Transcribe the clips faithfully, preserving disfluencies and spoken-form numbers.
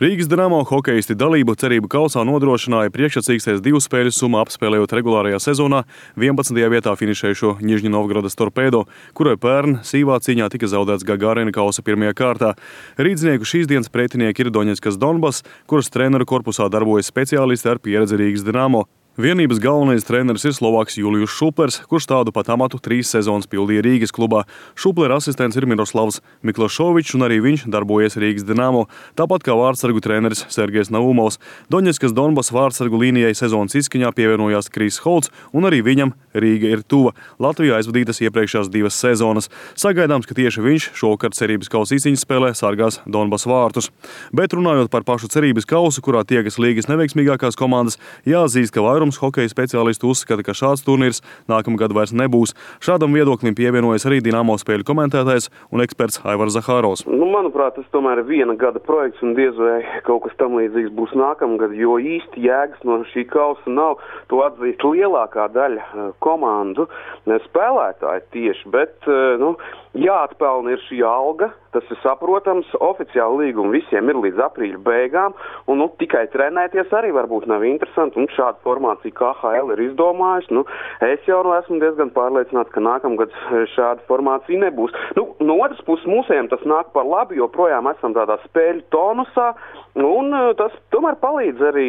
Rīgas Dinamo hokejisti dalību cerību kausā nodrošināja priekšsacīkstēs divu spēļu summu apspēlējot regulārajā sezonā vienpadsmitajā vietā finišējušo Nižņu Novgorodas Torpedo, kurai pērn sīvā cīņā tika zaudēts Gagarina kausa pirmajā kārtā. Rīdznieku šīs dienas pretinieki ir Doņetskas Donbas, kuras treneru korpusā darbojas speciālisti ar pieredzi Rīgas Dinamo. Vienības galvenais treneris ir Slovāks Julijus Šuplers, kurš tādu pat amatu trīs sezonas pildīja Rīgas klubā. Šuplera asistents ir Miroslavs Miklašovičs, un arī viņš darbojies Rīgas Dinamo, tāpat kā vārdsargu treneris Sergejs Naumovs. Doņetskas Donbas vārdsargu līnijai sezonas izskaņā pievienojās Kris Holts, un arī viņam Rīga ir tuva. Latvijā aizvadītas iepriekšējās divas sezonas. Sagaidāms, ka tieši viņš šovakar cerības kausa izcīņas spēlē sargās Donbas vārtus. Bet runājot par pašu cerības kausu, kurā tiekas līgas neveiksmīgākās komandas, jāatzīst, ka vairums hokeja speciālistu uzskata, ka šāds turnīrs nākamgad vairs nebūs. Šādam viedoklim pievienojas arī Dinamo spēļu komentētājs un eksperts Aivars Zahārovs. Nu, manuprāt, tas tomēr ir viena gada projekts un diez vai kaut kas tam līdzīgs būs nākamgad, jo īsti jēgas no šī kausa nav. To atzīst lielākā daļa komandu spēlētāji tieši, bet nu, jāatpelna ir šī alga, tas ir saprotams, oficiāli līgumi visiem ir līdz aprīļa beigām, un nu, tikai trenēties arī varbūt nav interesanti, un šāda formācija K H L ir izdomājusi. Nu, es jau esmu diezgan pārliecināts, ka nākamgad šāda formācija nebūs. Nu, no otras puses mūsējiem tas nāk par labi, jo projām esam tādā spēļu tonusā, un tas tomēr palīdz arī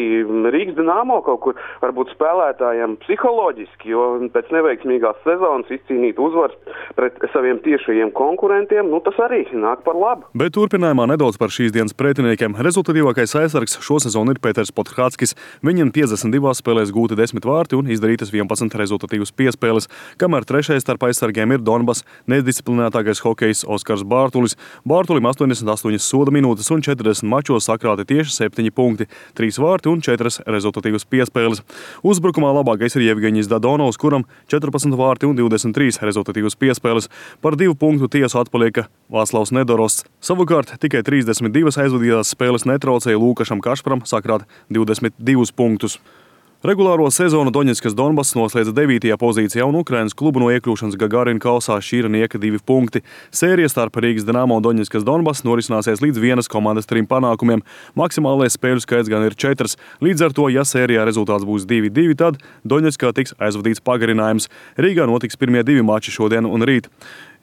Rīgas Dinamo kaut kur varbūt spēlētājiem psiholoģiski, jo pēc neveiksmīgās sezonas izcīnīt uzvaras pret saviem tiešajiem konkurentiem, nu tas arī nāk par labu. Bet turpinājumā nedaudz par šīs dienas pretiniekiem. Rezultatīvākais aizsargs šosezon ir Pēters Podhradskis. Viņam piecdesmit divās spēlēs gūti desmit vārti un izdarītas vienpadsmit rezultatīvas piespēles, kamēr trešais starp aizsargiem ir Donbas nedisciplinētākais hokejs Oskars Bārtulis. Bārtulim astoņdesmit astoņas soda minūtes un četrdesmit mačos sakrāti tieši septiņi punkti, trīs vārti un četras rezultatīvas piespēles. Uzbrukumā labākais ir Jevgeņijs Dadonovs, kuram četrpadsmit vārti un divdesmit trīs rezultatīvas piespēles. Par divu punktu tiesu atpalieka Vāclavs Nedorosts. Savukārt tikai trīsdesmit divas aizvadītās spēles netraucēja Lūkašam Kašparam sakrāt divdesmit divus punktus. Regulāro sezonu Doņetskas Donbas noslēdza devītajā pozīcijā un Ukrainas klubu no iekļūšanas Gagarina kausā šķīra nieka divi punkti. Sērija starp Rīgas Dinamo un Doņetskas Donbas norisināsies līdz vienas komandas trim panākumiem. Maksimālais spēļu skaits gan ir četras. Līdz ar to, ja sērijā rezultāts būs divi divi, tad Doņetskā tiks aizvadīts pagarinājums. Rīgā notiks pirmie divi mači šodien un rīt.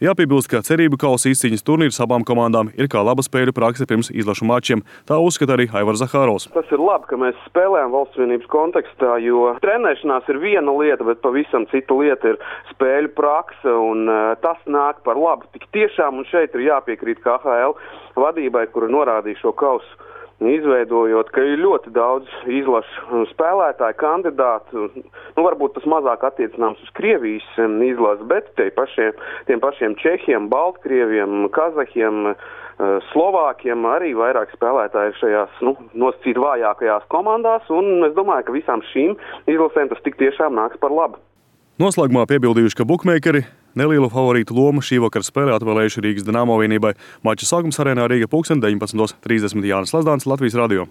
Jāpiebilst, ka cerību kausa izcīņas turnīrs abām komandām ir kā laba spēļu prakse pirms izlašu mačiem. Tā uzskata arī Aivars Zahārovs. Tas ir labi, ka mēs spēlējam valsts vienības kontekstā, jo trenēšanās ir viena lieta, bet pavisam cita lieta ir spēļu prakse, un uh, tas nāk par labu. Tik tiešām, un šeit ir jāpiekrīt K H L vadībai, kura norādīja šo kausu, izveidojot, ka ir ļoti daudz izlašu spēlētāju kandidātu. Nu, varbūt tas mazāk attiecināms uz Krievijas izlases, bet tie pašiem, tiem pašiem Čehiem, Baltkrieviem, Kazahiem, Slovākiem arī vairāk spēlētāji šajās nu, nosacīt vājākajās komandās, un es domāju, ka visām šīm izlasēm tas tik tiešām nāks par labu. Noslēgumā piebildījuši, ka bukmeikeri nelielu favorītu lomu šī vakara spēlē atvēlējuši Rīgas Dinamo vienībai. Mača sākums arēnā Rīga pulksten deviņpadsmit trīsdesmit. Jānis Lazdāns, Latvijas radio.